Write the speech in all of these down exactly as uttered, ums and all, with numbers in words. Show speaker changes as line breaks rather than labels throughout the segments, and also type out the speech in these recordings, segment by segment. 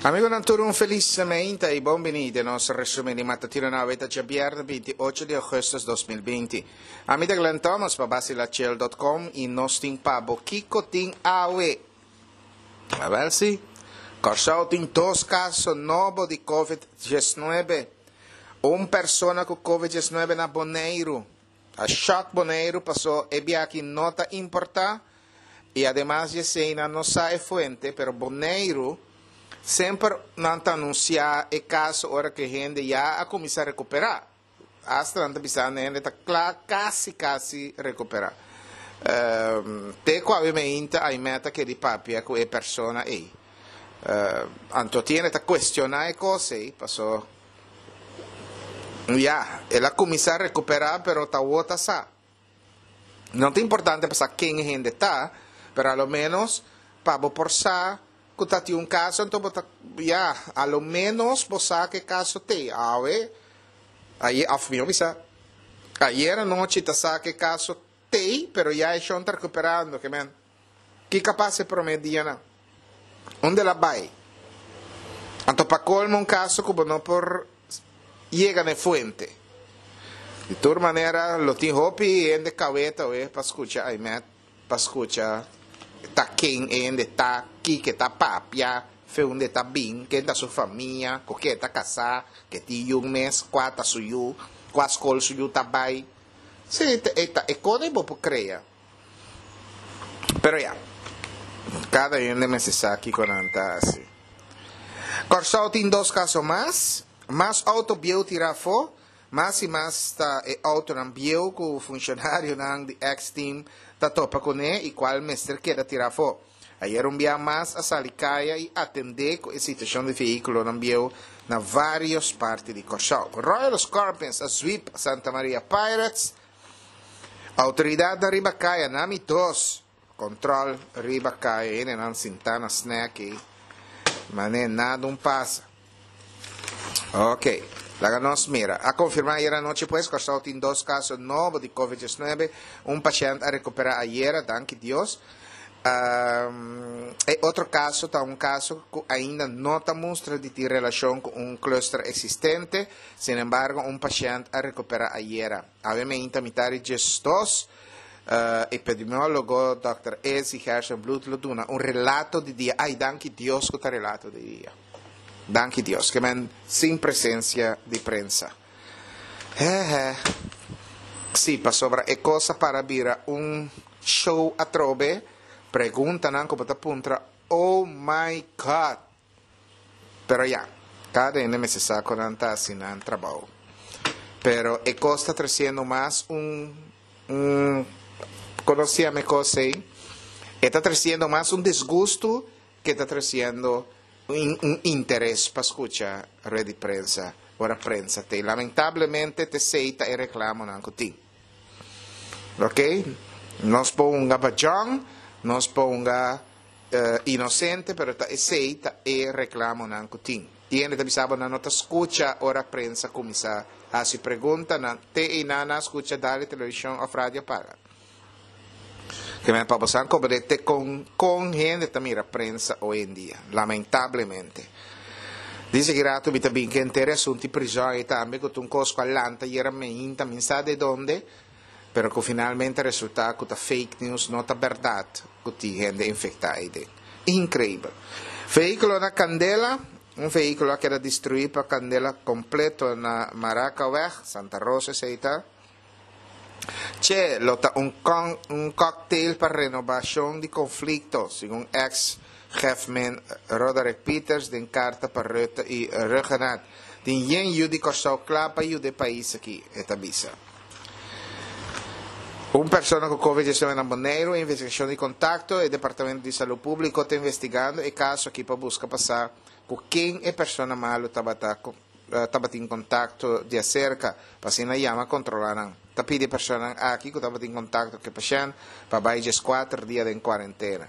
Amigonan tur, un felis mainta i bon bini den nos resumen di matutino. Awe ta djabièrnè binti ocho di ougùstùs dos mil binti. Ami ta Glenn Thomas pa basilachel punto com i nos tin pa bo kiko tin awe. Awèl si. Kòrsou tin dos kaso nobo di COVID diesnuebe. Un persona ku COVID diesnuebe na Boneiru. A shock Boneiru, pasó e biaha no ta importá i ademas di esei no sa e fuente, pero Boneiru semper nan ta anunsiá e kaso ora ku hende ya a kuminsá rekuperá. Hasta nan ta bisa hende ta kla, kasi kasi rekuperá. Um, te ku awe mainta a meta ku di papia ku e persona ei. Uh, anto tin ta kuestioná e kos ei, pasó ya, el a kuminsá rekuperá, pero ta otro sa. No ta importante pa ken hende ta, pero a lo menos pa bo por sa ku ta tin un kaso, anto bo ta, ya, a lo menos bo sa ku kaso tin. Awe, ei af mi bisa, ayera nochi ta sa ku kaso tin, pero ya e ta rekuperando, ke men. Ki kapas e promé dianan? Unda el a bai? Anto pa kolmo un kaso ku no por yega na fuente. Di tur manera, lo tin hopi hende kaweta we pa skucha aimet, pa skucha ta ken hende ta, kiko ta papia, fe unda ta bin, ken ta su famia, ku ken ta kasá, ku tin yu mes, kua ta su yu, kua skol su yu ta bai. Si, ta, e kos bo por krea. Pero ya, kada un mester sa kiko nan ta hasi. Kòrsou tin dos kaso mas, mas outo bieu tirá afó, mas i mas ta e outonan bieu ku funshonarionan di X-Team ta topa kuné i kual mester keda tirá afó. Ayera un bia mas a sali kaya i atendé ku e situashon di vehíkulonan bieu na vários parti di Kòrsou. Royal Scorpions a sweep Santa Maria Pirates. Outoridat riba kaya, nami dos. Kontrol riba kaya, nan sintá na snack i mané nada no pasa. Ok. Laga nos mira. A konfirmá ayera nochi, pues, Kòrsou tin dos kaso nobo di COVID diesnuebe. Un pashènt a rekuperá ayera, danki Dios. Um, e otro kaso ta un kaso ku ainda no ta mustra di tin relashon ku un cluster eksistente. Sin embargo, un pashènt a rekuperá ayera. Obviamente, mitar di dos, uh, epidemiólogo Dòkter Ezi Gerstenbluth lo duna un relato di dia. Ai, danki Dios ku ta relato di dia. Danki Dios, ke men sin presensia di prensa. He he. Si, pasobra e kos a para bira un show atrobe, preguntanan ku ta puntra, oh my God. Pero ya, kada hende mester sa kon nan ta hasi nan trabou. Pero e kos ta tresiendo mas un, un konosí e kos ei, ta tresiendo mas un disgusto ku ta tresiendo un, un interes pa skucha rueda di prensa, ora prensa te. Lamentablemente, t'esei ta e reklamonan ku tin. Ok? Nos ponga bajong, nos ponga uh, inosente, pero ta esei ta e reklamonan ku tin. I ainda ta bisabo nan no ta skucha ora prensa kuminsá hasi pregunta, nan te i nan skucha dal televishon òf radio paga. Ke men pa boso komprondé kon kon hende ta mira prensa hoi en dia, lamentablemente. Dice ku rato mi tambe ke henter asuntu prizòn i tambe ku un kos ku a lanta ayera mainta, mi sa di unda, pero ku finalmente a resultá ku ta fake news, no ta berdat ku tin hende infektá ei. Inkreibel. Vehíkulo na kandela, un vehíkulo a keda destruí pa kandela kompleto na Maracaweg, Santa Rosa, esei ta. Che, lo ta un, con, un cocktail pa renobashon di konflikto, segun ex-chefman Roderick Peters, den karta pa Rutte i Rhuggenaath. Tin yen yu di Kòrsou kla pa yuda e pais aki, e ta bisa. Un persona ku COVID diesnuebe na Boneiru, investigashon di kontakto, e Departamento di Salú Públiko ta investigando e kaso aki pa buska pa sa ku ken e persona malu tabata tabatin kontakto di aserka, pa asina yama kontrolá nan. Ta pidi persona aki ku tabatin kontakto ku e pashènt pa bai kuater dia den kuarentena.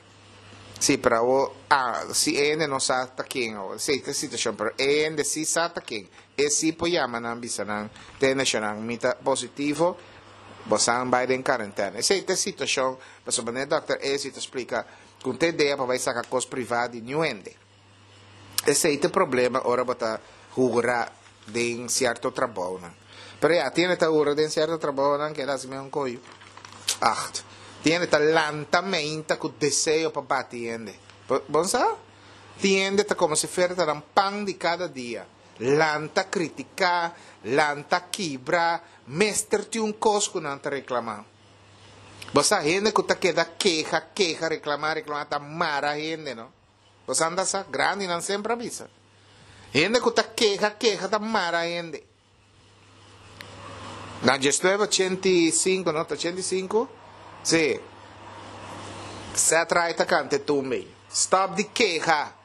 Si, pero ah, si hende no sa ta ken, si, e situashon, pero hende si sa ta ken. E si por yama nan bisa nan, tene nan mi ta positivo, boso bai den kuarentena. Esei ta e situashon, pasobra e dòkter Ezi ta splika, ku tin idea pa bai saka kos privá di niun hende. Esei ta e problema ora bo ta hura den sierto trabounan. Pero ya, tin hende ta hura den sierto trabounan ku el hasi mesun koyo. Acht. Tin hende ta lanta meinta ku deseo pa bati hende. Bo sa? Tin hende ta komo si fuera ta nan pan di kada dia. Lanta kritiká, lanta kibra, mester tin un kos ku nan ta reklamá. Bo sa hende ku ta keda keha, keha, reklamá, reklamá ta mara hende, no? Bo sa anda sa? Grandinan semper a bisa. Hende ku ta keha, keha ta mara hende. Na diesnuebe ochenta i sinku, no? Ta ochenta i sinku? Sí. Seth Wright ta kanta e tumba ei. Stop di keha.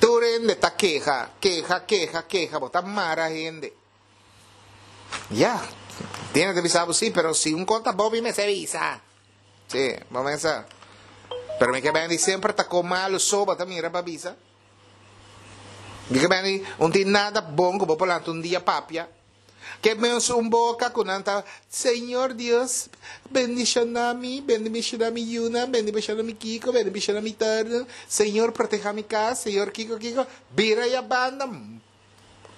Tur hende ta keha, keha, keha, keha. Bo ta mara hende. Ya, tin hende ta bisa bo si, pero si un kon ta bo mi mester bisa. Sí, bo mester. Pero mi ke bende semper ta kon malu so bo ta mira pa bisa. Mi ke bende un tin nada bon ku bo por lanta un dia papia. Ke menos un boka ku nan ta, Señor Dios, bendishoná mi, bendishoná mi yunan, bendishoná mi kiko, bendishoná mi torno, Señor proteha mi kas, Señor kiko kiko, bira ya banda,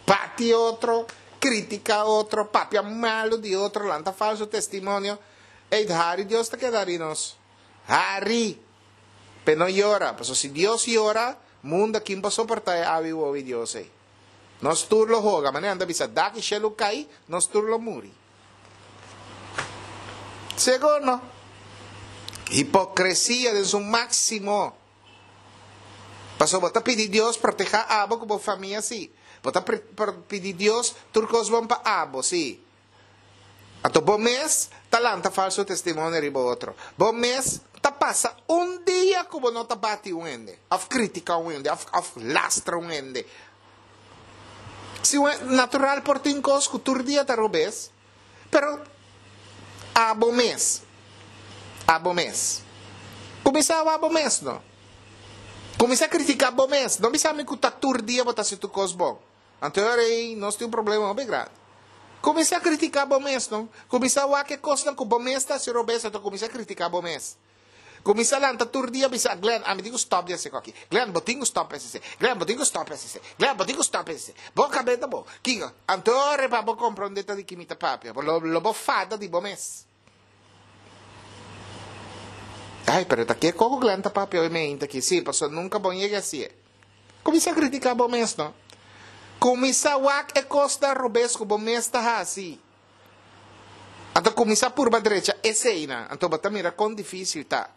Bati otro, critica otro, papia malo di otro, lanta falso testimonio. Ey, hari Dios ta keda hari nos. Hari! Pe no yora, pasobra si Dios yora, mundo kin por soporta e awi wowi Dios ey? Nos tur lo hoga, manera nan ta bisa, dak y shelu cay, nos tur lo muri. Segur no. Hipocresia den su maximo. Pasobra bo ta pidi Dios protehá abo ku bo famia, sí. Bo ta pidi Dios tur kos bon pa abo, sí. Anto bo mes ta lanta falso testimonio riba otro. Bo mes ta pasa un dia ku bo no ta bati un hende, òf kritiká un hende, òf òf lastra un hende. Si un natural por tin kos ku tur dia ta robes, pero abo mes, abo mes. Kuminsá wak bo mes no. Kuminsá kritiká bo mes. No bisa mi ku ta tur dia bo ta hasi tur kos bon. Anto e ora ei nos tin un problema hopi grandi. Kuminsá kritiká bo mes no. Kuminsá wak e kosnan ku bo mes ta hasi robes anto kuminsá kritiká bo mes. Kuminsá lanta tur dia bisa, Glenn, ami tin ku stòp di hasi kòki. Glenn, bo tin ku stòp hasi esei. Glenn, bo tin ku stòp hasi esei. Glenn, bo tin ku stòp hasi esei. Bo kab'é ta bo. Kiko? Anto e ora ei pa bo komprondé ta di ki mi ta papia. Bo lo bo fada di bo mes. Ay, pero ta ke koko Glenn ta papia hoy meinta aki? Sí, pasobra nunka bon yega hasié. Kuminsá kritiká bo mes, no? Kuminsá wak e kosnan robes ku bo mes ta hasi. Anto kuminsá purba drecha eseinan. Anto bo ta mira kon difísil ta.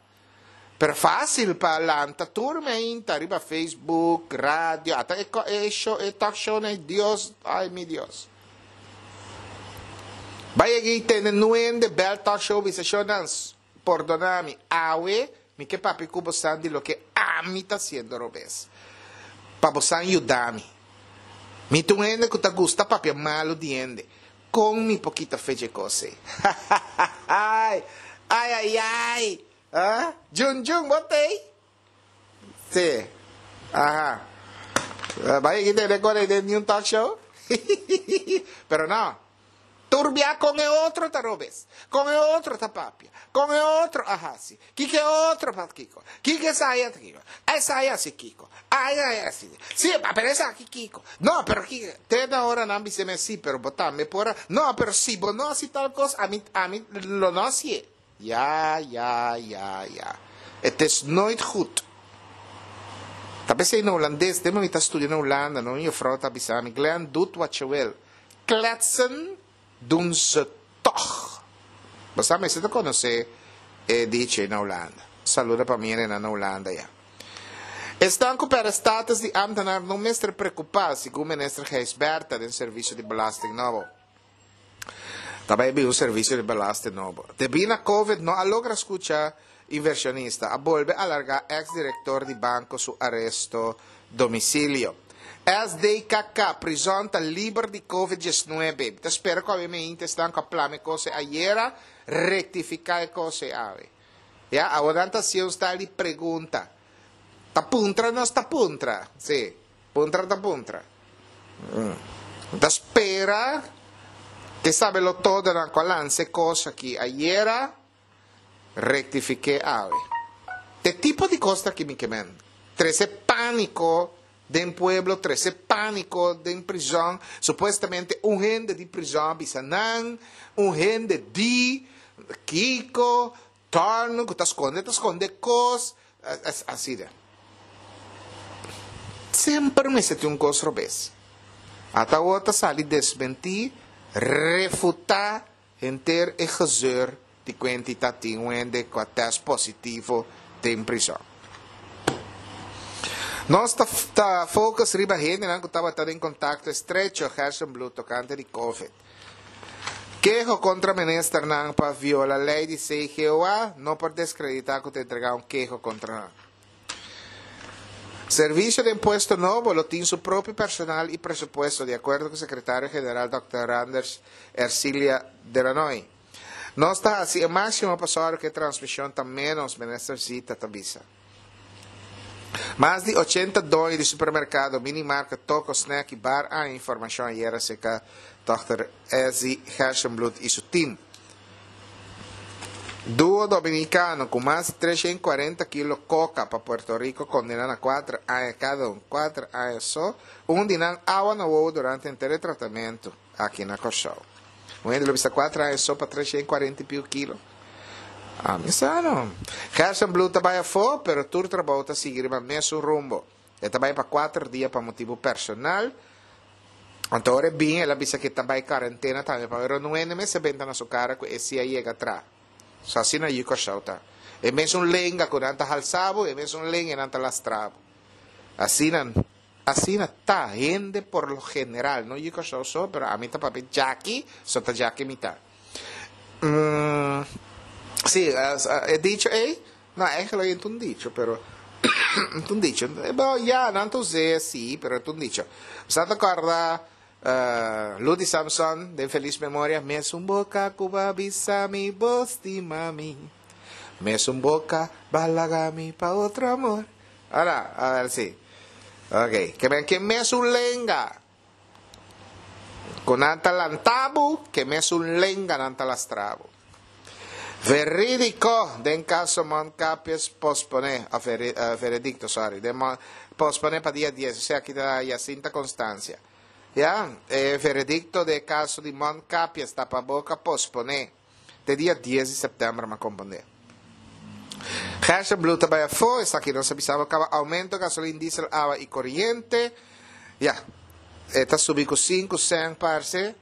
Pero fásil pa lanta tur meinta riba Facebook, radio, ata e, e, show, e talk show na Dios, ay mi Dios. Bai egi tene nuende bel talk show bisa shownan, pordona mi, awe mi ke papia ku bosan di loke ami ta haciendo robes. Pa bosan yuda mi. Mi ta un hende ku ta gusta papia malu di hende. Kon mi por kita fecha e kos ei? Ai, ai, ai! Ah, Jun Jun, bo t'ei? Sí. Aha. Bai aki tene con ei den niun talk show? Pero no. Tur bia con e otro ta robes. Con e otro ta papia. Con e otro a hasi. Kiko e otro pa kiko. Kiko esai a kiko. Esai a hasi kiko. Ai ai hasi. Sí, pero esaki kiko. No, pero kiko. Te na ora nan bisa mi sí, pero bo tambe por a. No, pero si bo no hasi tal cos, ami, ami lo no hasié. Ja, ja, ja, ja. Het is nooit goed. Ta p'esei na Hulandes, den mi ta studia na Hulanda, no, un juffrouw ta bisa mi, Glenn, doet wat je wil. Kletsen doen ze toch. Bo sa mester ta konosé e dicho ei na Hulanda. Saluda pa mi hendenan na Hulanda ya. Esnan ku pèrdè status di ámtenar no mester preokupá, segun minister Gijsbertha den servisio di belasting nobo. Ta bai bin un servisio di belasting nobo. Debí na Covid no a logra skucha invershonista. A bolbe alargá eks direktor di banko su aresto domisilio. S D K K, Prizòn ta liber di Covid diesnuebe. Mi ta spera ku awe meinta esnan ku a plama e kos ei ayera rektifiká e kos ei awe. Ya, awor nan ta hasié un style di pregunta. Ta puntra nos ta puntra. Sí. Puntra ta puntra. Ta spera ke sabelo todonan ku a lansa e kos aki ayera rektifik'é awe. Te tipo di kos ta aki mi ke men. Trese pániko Den pueblo, trese pániko den prizòn. Supuestamente un hende di prizòn a bisa nan, un hende di kiko, torno, ku ta skonde, ta skonde kos, asina. Semper mester tin un kos robes. Ata awor ta sali desmentí, refutá henter e gezeur di kuenti ta tin un hende ku a tèst positivo den prizòn. Nos ta ta focus riba hendenan ku tabata den kontakto estrecho Gerstenbluth tokante di Covid. Keho kontra ministernan pa viola lei di C G O A no por deskreditá ku ta entregá un keho kontra nan. Servisio di Impuesto nobo lo tin su propio personal i presupuesto, di akuerdo ku sekretario general dòkter Randers Ersilia Delanoy. Nos ta hasi e máksimo pa sòru ku e transmishon ta ménos, minister Zita ta bisa. Mas di ochenta doño di supermerkado, minimarket, toko, snack i bar a haña informashon ayera serka dòkter Ezzy Gerstenbluth i su tim. Duo dominikano ku mas di treshen kuarenta kilo koka pa Puerto Rico kondena na kuater aña kada un, kuater aña so, un di nan awa na wowo durante henter e tratamentu aki na Kòrsou. Un hende lo bisa kuater aña so pa treshen kuarenta i piu kilo. Ami sa no. Gerstenbluth ta bai afó, pero tur trabou ta sigui riba mesun rumbo. E ta bai pa kuater dia pa motibu personal. Anto ora e bin el a bisa ku e ta bai karentena tambe, pasobra no hende mester benta na su kara ku e si a yega tra. So asina yu Kòrsou ta. E mesun lenga ku nan ta halsa bo, e mesun lenga nan ta lastra bo. Asina, asina ta hende por lo general, no yu Kòrsou so, pero ami ta papia djaki, so ta djaki mi ta. Mm, sí, e dicho ei, no, eigenlijk e ta un dicho, pero ta un dicho. Bo, ya, nan ta us'é, sí, pero ta un dicho. Sa ta kòrda Uh, Ludy Samson, den feliz memoria, mesun boca ku ba bisa mi bo stima mi. Mesun boca ba laga mi pa otro amor. Ahora, a ver si. Ok, ke men ke mesun lenga. Ku nan ta lantabu, ke mesun lenga nan ta lastrabu. Verídico, den caso Mont Capies pospone, a veri, uh, veredicto, sorry, den Mont, pospone pa dia dies, o sea, aquí ta Jacinta Constancia. Ya, e veredicto de caso di Mont Capies tapaboca pospone te dia dies di september, ma comprende. Gerstenbluth ta bai afó, esaki nos a bisa bo caba aumento gasolin, diesel, awa y coriente. Ya, e ta subi cu sinku cent parce.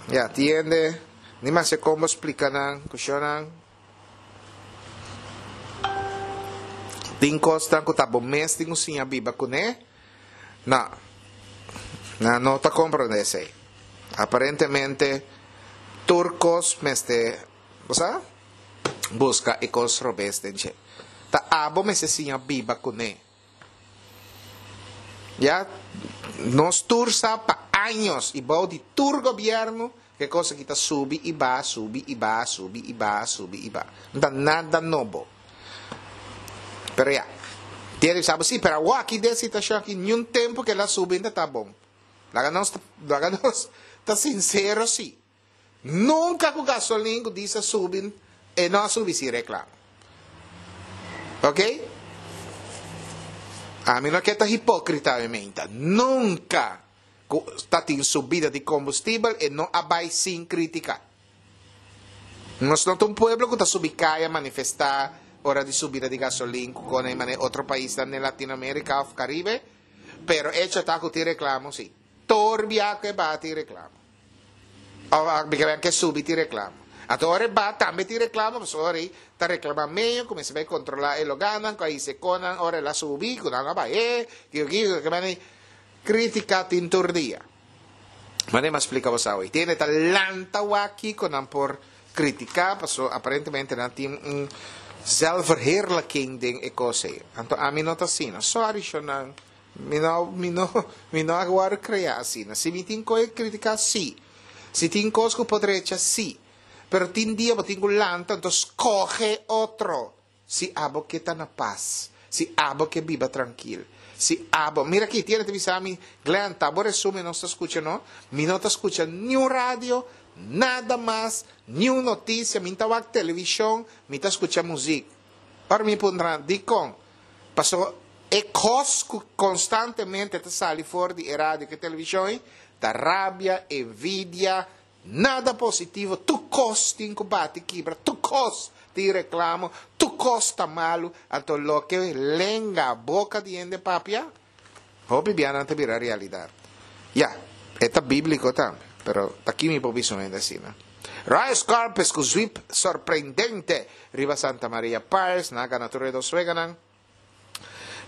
Ya, tiende, ni mas e combo explica nan, cushonan. Tin cosnan cu ta bo mes tin cu siña biba cune. No, nan no ta comprende esey. Aparentemente, tur cos mester, bo sa? Busca e cos robes den dje. Ta abo mester siña biba cune. Ya, nos tur sa pa años y bou di tur gobierno ke cos aki ta subi y baha, subi y baha, subi y baha, subi y baha. No ta nada nobo. Pero ya, tiene que saber, sí, pero awor aki den situacion aki, ni un tempo ke la subi ta ta bon. Laga nos, laga nos ta sincero, sí. Nunca ku gasolin ku diesel subi, e no a subi sin reclamo. Ok? A mi no ke ta hipócrita, mi menta. Nunca ku ta tin subida di combustibel e no a bai sin critica. Nos no ta un pueblo ku ta subi kaya manifesta ora di subida di gasolin ku kone mane otro paisnan den Latinoamérica of Caribe, pero hecho ta ku tin reclamo, sí. Torbia ku e baha tin reclamo. Of a ke subi tin reclamo. Anto ora e baha tambe tin reclamo, pasobra ora ei ta reclama medio, kuminsa bai controla e loganan, ku a hise konan ora el a subi, ku nan a bah'é, kiko kiko, ke mane critica tin tur dia. Mane mas splika bo sa hoy. Tiene ta lanta wak kiko nan por critica, paso aparentemente nan tin un zelfverheerlijking den e kos ei. Anto ami no ta asina. Sorry, shonan. Mi no, mi no, mi no a wòrdu krea asina. Si mi tin kos critica, sí. Si tin kos ku por drecha, sí. Pero tin dia bo tin ku lanta, anto skohe otro. Si abo ke ta na pas. Si abo ke biba trankil. Si abo, mira aki, tiene te bisa mi, Glenn, ta bo resumen nos ta skucha, no? Mi no ta skucha ni un radio, nada mas, ni un noticia, mi ta wak televishon, mi ta skucha muziek. Ora mi puntra, dikon? Paso E kos konstantemente ta sali for di radio ku televishon, ta rabia, envidia, nada positivo, tur kos tin ku bati kibra, tur kos tin reklamo, tur kos ta malu, anto loke lenga boka di hende papia, hopi biaha ta bira realidat. Ya, ta bíbliko tambe, pero aki mi por bisa asina. Royal Scorpions ku sweep sorprendente riba Santa Maria Pirates, nan a gana tur dos weganan.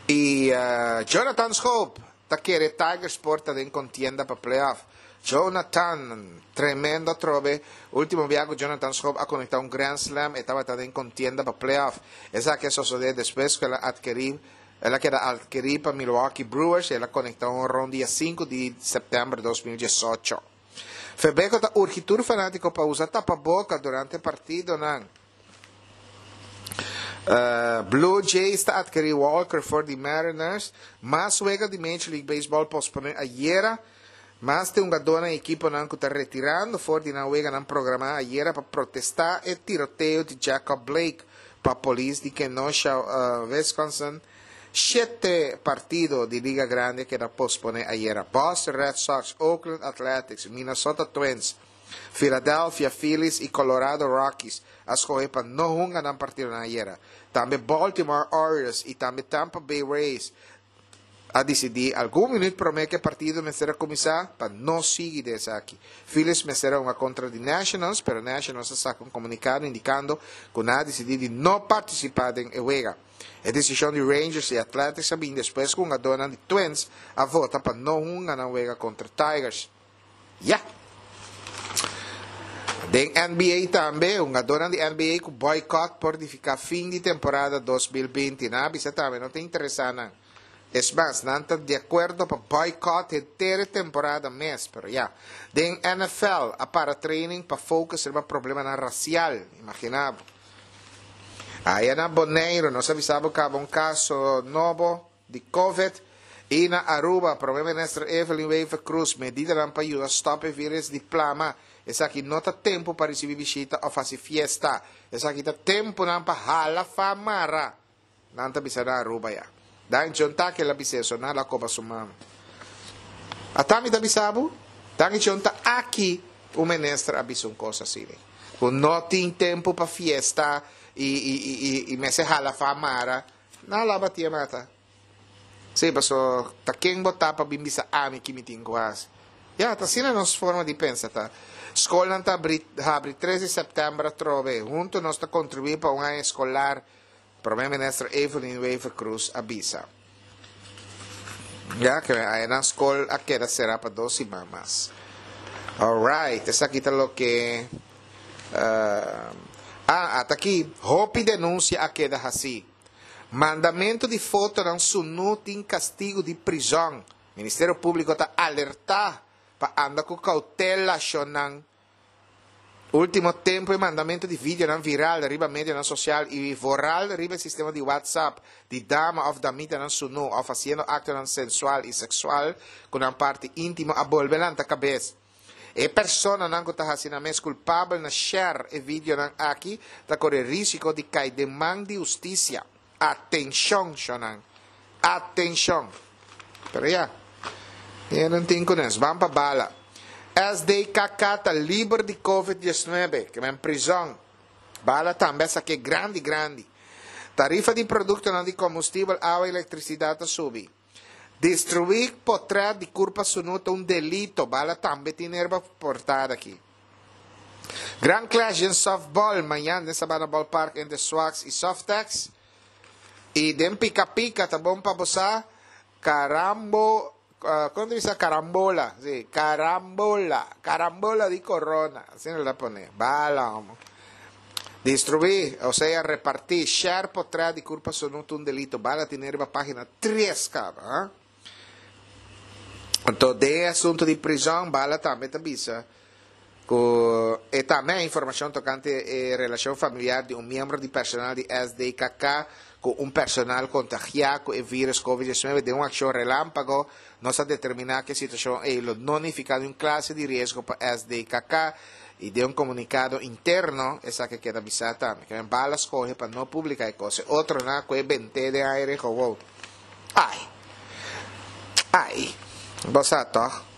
I uh, Jonathan Schoop, ta kere Tigers por ta den kontienda pa playoff. Jonathan, tremendo trobe. Último biaha Jonathan Schoop a konektá un Grand Slam i tabata den kontienda pa playoff. Esaki a sosodé despues ku el a atkerí el a keda atkerí pa Milwaukee Brewers i el a konektá un honron dia sinku di sèptèmber di dos mil diesocho. Febeko ta urgi tur fanátiko pa usa tapaboka durante partidonan. Uh, Blue Jays ta atkerí Walker for di Mariners. Mas wega di Major League Baseball posponé ayera. Mas di un hungadó i ekiponan ku ta retirando for di nan weganan programá ayera pa protestá e tiroteo di Jacob Blake pa polis di Kenosha, uh, Wisconsin. Shete partido di Liga Grandi a keda posponé ayera. Boston Red Sox, Oakland Athletics, Minnesota Twins, Philadelphia Phillies i Colorado Rockies a skohe pa no hunga nan partido ayera. Tambe Baltimore Orioles i tambe Tampa Bay Rays a disidí algun minüt promé ku e partido mester a kuminsá pa no sigui di esaki. Phillies mester a hunga kontra di Nationals, pero Nationals a saka un komunikado indikando ku nan a disidí di no partisipá den e wega. E desishon di Rangers i Athletics a bin despues ku hungadónan di Twins a vota pa no hunga nan wega kontra Tigers. Ya. Den N B A tambe, hungadónan di N B A ku boycott por nifiká fin di temporada dos mil binti. Nan a bisa tambe, no ta interesá nan. Es mas, nan ta di akuerdo pa boycott henter temporada mes, pero ya. Den N F L, a para training pa focus riba problemanan rasial, imaginá. Ei na Boneiru, nos a avisá ku un kaso nobo di COVID. I na Aruba, Promé Minister Evelyn Wever-Croes, medida pa yuda stòp e vírùs di plama. Esaki no ta tempu pa risibí bishita òf hasi fiesta. Esaki ta tempu pa hala faha mara. Nan ta bisa na Aruba ya. Dan chonta ku el a bisa eso, nan la koba su mama. Ata mi ta bisa bo, dan chonta aki o minister a bisa un kos asina. Ku no tin tempu pa fiesta i i i i, i mester hala faha mara. Nan la batia mata. Sí, paso ta ken bo ta pa bin bisa ami ki mi tin ku hasi? Ya, ta asina nos forma di pensa ta. Skolnan ta habri, habri tres di sèptèmber atrobe. Huntu nos ta kontribuí pa un aña eskolar. Promé Minister Evelyn Wever-Croes a bisa. Ya, ku ei na skol a keda será pa dos siman mas. Alright, esaki ta loke. Uh, ah, ata aki, hopi denunsia a keda hasí. Mandamentu di fotonan sunú tin kastigu di prizòn. Ministerio Públiko ta alertá pa anda ku koutela, shonnan. Último tempu e mandamentu di videonan viral riba medionan sosial i vooral riba sistema di WhatsApp di dama òf damitanan sunú òf hasiendo aktonan sensual i seksual ku nan parti íntimo a bolbe lanta kabes. E personanan ku ta hasi nan mes kulpabel na share e videonan aki ta kore rísiko di kai den man di hustisia. Atenshon, shonnan. Atenshon. Pero ya, e no tin kunes. Ban pa bala. S D K K ta liber di COVID diesnuebe, ku ta prizòn. Bala tambe esaki grandi, grandi. Tarifa di produktonan di kombustibel, awa i elektrisidat a subi. Destruí portrèt di kurpa sunú ta un delito. Bala tambe tin riba portada aki. Grand Clash in softball mañan na Sabana Ballpark entre Swax i Softex. I den pika pika ta bon pa bo sa carambo, uh, kon bisa carambola? Sí, carambola, carambola di corona, asina el a pone. Bala, homo. Destruí, osea repartí, share portrèt di kurpa sunú ta un delito. Bala tin riba página tres kaba, eh? Anto, den asuntu di prizòn, Bala tambe ta bisa ku e tambe informashon tokante e relashon familiar di un miembro di personal di S D K K ku un personal kontagiá ku e vírùs COVID diesnuebe. Den un akshon relámpago, nos a determiná ku e situashon ei no nifiká un klase di riesgo pa S D K K i den un komunikado interno, esaki a keda bisá tambe, ku Bala a skohe pa no publiká e kos. Otronan ku e bent'é den aire gewoon. Ai. Ai. Bo sa toch?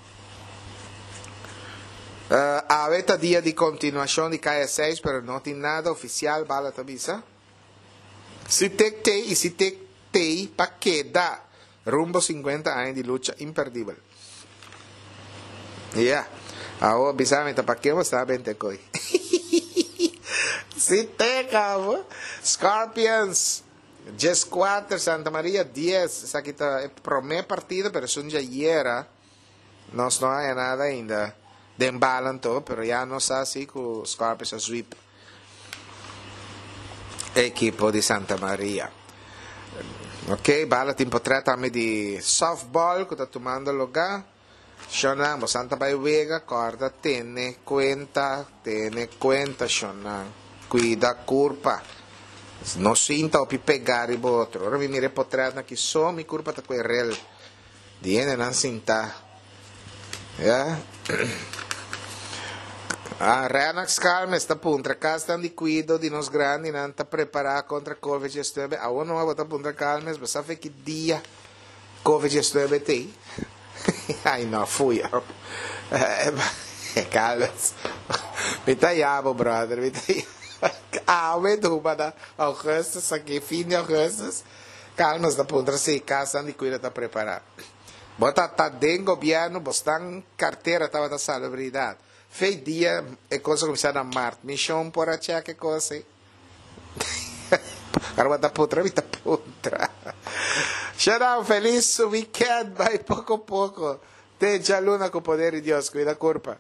Uh, awe ta dia di continuacion di K S seis, pero no tin nada oficial, bala ta bisa. Sitek T y Sitek T pa keda rumbo cincuenta aña di lucha imperdibel. Yeah. Awo bisa mi ta pa ke bo sa bente koi. Sitek abo. Scorpions diescuater, Santa Maria dies. Esaki ta e prome partido, pero es un djayera. Nos no hay nada ainda. Den balanto, pero ya no sa si ku Scorpions a sweep equipo di Santa Maria. Ok, bala tin portret tambe di softball ku ta tumando lugar. Shonan, bo santa bai wega, corda, tene cuenta, tene cuenta, shonan. Cuida curpa. No sinta opi pegar riba otro. Ora mi mire portret na ki so mi curpa ta kwe rel. Diene nan sinta. Ja? Ah, Renax Calmes ta puntra kasnan di cuido di nos grandi nan ta prepara contra COVID diesnuebe. Awo no ta puntra Calmes, bo sa fe ki dia COVID diesnuebe te. Ai no, fui. Calmes. Mi ta yabo, brother, mi ta awe duba da augustus aki, fin di augustus. Calmes ta puntra si kasnan di cuido ta prepara. Bo ta ta den gobierno, bo stan cartera tabata salubridad. Fei dia e cosa comincia na maart. Mission por a check e cosa. Agora ta putra, mi ta putra. Xanao, feliz weekend, vai poco poco. Te djaluna cu poder di Dios, cuida curpa.